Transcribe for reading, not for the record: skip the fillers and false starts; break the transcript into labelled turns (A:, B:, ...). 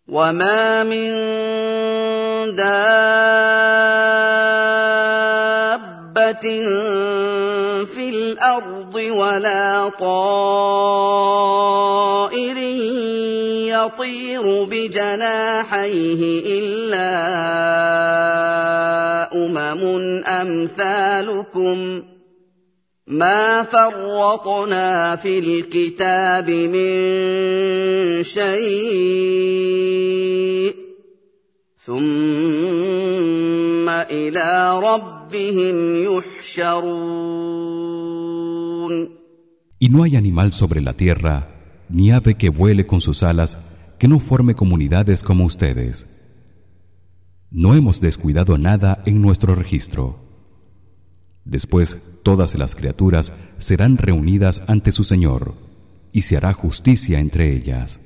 A: وما من دابة في الأرض ولا طائر يطير بجناحيه إلا أمثالكم ما فرطنا في الكتاب من شيء ثم إلى ربهم يحشرون.
B: Y no hay animal sobre la tierra ni ave que vuele con sus alas que no forme comunidades como ustedes. No hemos descuidado nada en nuestro registro. Después todas las criaturas serán reunidas ante su Señor y se hará justicia entre ellas.